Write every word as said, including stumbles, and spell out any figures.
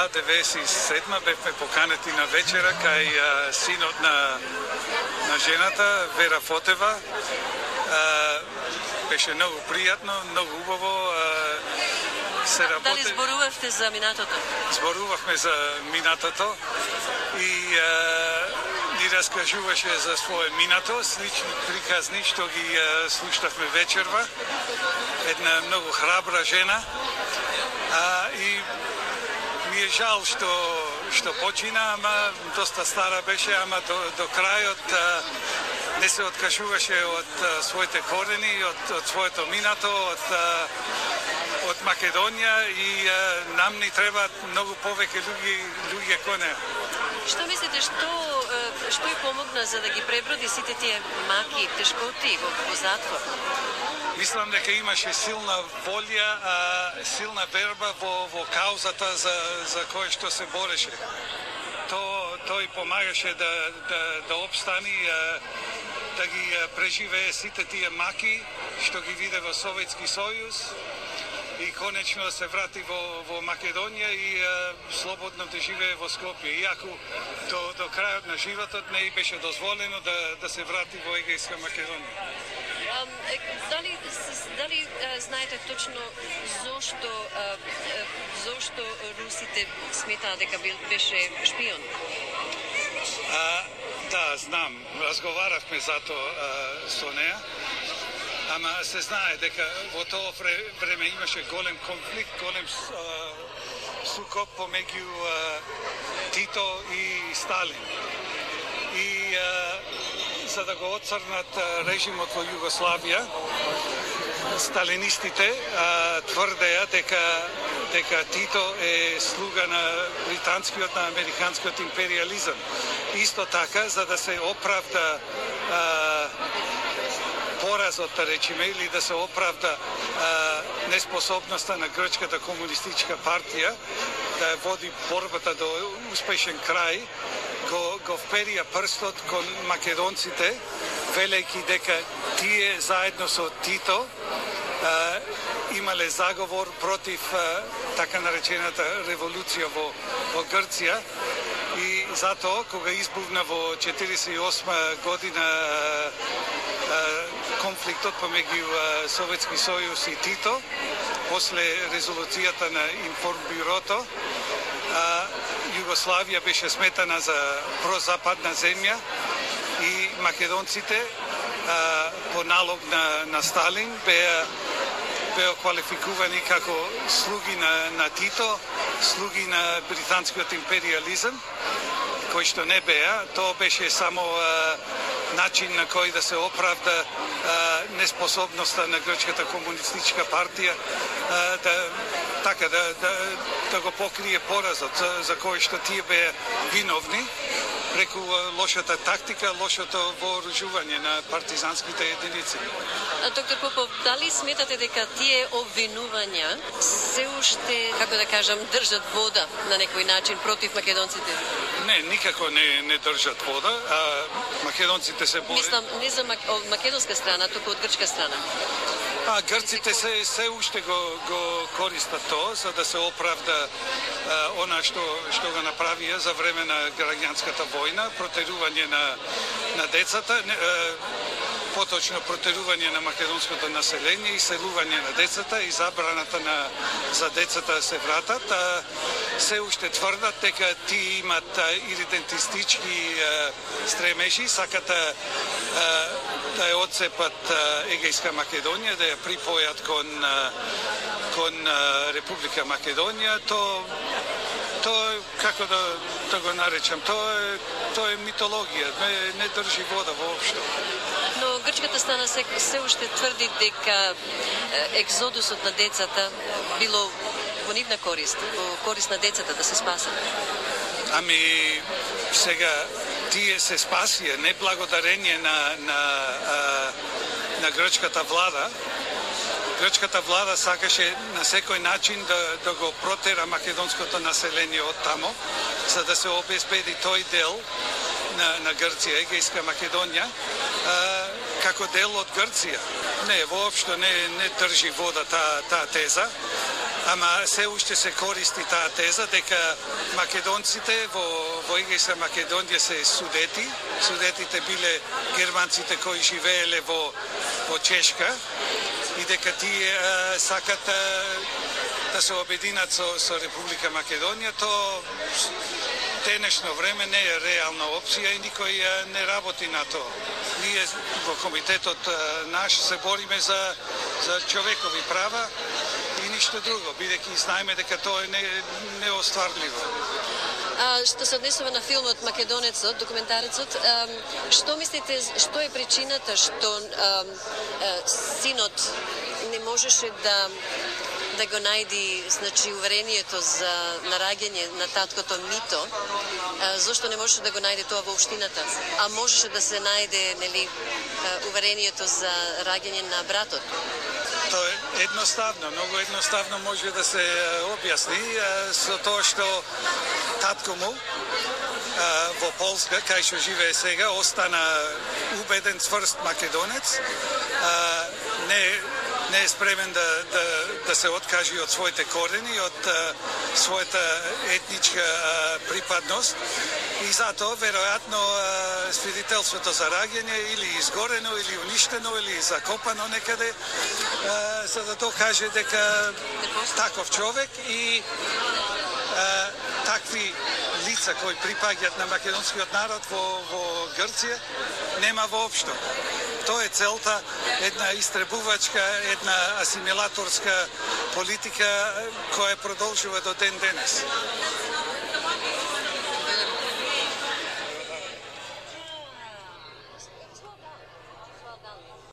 Да, деветдесет и седма бевме поканети на вечера кај а, синот на, на жената, Вера Фотева. А, беше многу пријатно, многу убаво. А, се работе... Дали зборувавте за минатото? Зборувавме за минатото и а, ни раскажуваше за своје минато, слични приказни што ги а, слушнавме вечерва. Една многу храбра жена. А, и ми е жал што што почина, ама доста стара беше, ама до, до крајот а, не се откажуваше од а, своите корени, од, од своето минато, од а, од Македонија и а, нам ни требаат многу повеќе луѓе луѓе кој неа. Што мислите, што што ја помогна за да ги преброди сите тие маки, тешкоти во, во затвор? Мислам дека имаше силна волја, а, силна верба во, во каузата за, за која што се бореше. То, тој помагаше да, да, да обстани, а, да ги преживее сите тие маки што ги виде во Советски сојуз и конечно се врати во, во Македонија и а, слободно да живее во Скопје. Иако до, до крајот на животот не беше дозволено да, да се врати во Егејска Македонија. Um, дали дали а, знаете точно зошто а, зошто русите сметаа дека беше шпион? А, да, знам. Разговаравме за тоа со неа. Ама се знае дека во тоа време имаше голем конфликт, голем а, сукоп помеѓу Тито и Сталин. И а, за да го отцрнат режимот во Југославија, сталинистите а, тврдеа дека дека Тито е слуга на британскиот, на американскиот империализам. Исто така, за да се оправда а, поразот, да речеме, или да се оправда а, неспособноста на грчката комунистичка партија да води борбата до успешен крај, го, го вперија прстот кон македонците, велејќи дека тие заедно со Тито а, имале заговор против а, така наречената револуција во, во Грција и затоа кога избувна во четиридесет и осма година а, а, конфликтот помеѓу Советски сојуз и Тито, после резолуцијата на Информбюрото, а, Југославија беше сметана за прозападна земја и македонците а, по налог на, на Сталин беа беа квалификувани како слуги на, на Тито, слуги на британскиот империализам, кој што не беа. Тоа беше само а, начин на кој да се оправда а, неспособноста на грчката комунистичка партија а, да така да, да да го покрие поразот за, за кој што тие беа виновни преку лошата тактика, лошото вооружување на партизанските единици. Доктор Попов, дали сметате дека тие обвинувања се уште, како да кажам, држат вода на некој начин против македонците? Не, никако не не држат вода, а македонците се борат. Мислам не за мак... од македонска страна, туку од грчка страна. А грците се се уште го го користат тоа за да се оправда а, она што што го направија за време на граѓанската војна, протерување на на децата, не, а, поточно протерување на македонското население, иселување на децата и забраната на за децата да се вратат, а се уште тврдат дека ти имат идентистички стремежи, сакат а, да ја одцепат Егејска Македонија, да ја припојат кон кон Република Македонија. То тоа како да да го наречам, тоа е тоа е митологија, не, не држи вода воопшто. Но грчката страна се, се уште тврди дека екзодусот на децата било во нивна корист, во корист на децата да се спасат. Ами сега тие се спасија не благодарение на на а, на грчката влада. Грчката влада сакаше на секој начин да да го протера македонското население од тамо, за да се обезбеди тој дел на на Грција, Егејска Македонија, а, како дел од Грција. Не, воопшто не не држи вода таа таа теза. ама се уште се користи таа теза дека македонците во во ЕГС Македонија се судети, судетите биле германците кои живееле во во Чешка и дека тие а, сакат а, да се обединат со, со Република Македонија. То денешно време не е реална опција и никој а, не работи на тоа. Ние во комитетот а, наш се бориме за за човекови права и ништо друго, бидејќи знаеме дека тоа е не, неостварливо. А, што се однесува на филмот Македонецот, документарецот, а, што мислите, што е причината што а, а, синот не можеше да да го најди, значи, уверението за нараѓање на таткото Мито, а, зошто не можеше да го најде тоа во општината, а можеше да се најде, нели, уверението за раѓање на братот? Тоа е едноставно, многу едноставно може да се објасни со тоа што татко му во Полска, кај што живее сега, остана убеден цврст македонец, не не е спремен да, да, да се откажи од своите корени, од а, својата етничка а, припадност и затоа веројатно а, свидетелството за раѓање или изгорено, или уништено, или закопано некаде, а, за да докаже дека таков човек и а, такви лица кои припаѓаат на македонскиот народ во, во Грција нема воопшто. Тоа е целта, една истребувачка, една асимилација, асимилаторска политика која продолжува до ден денес.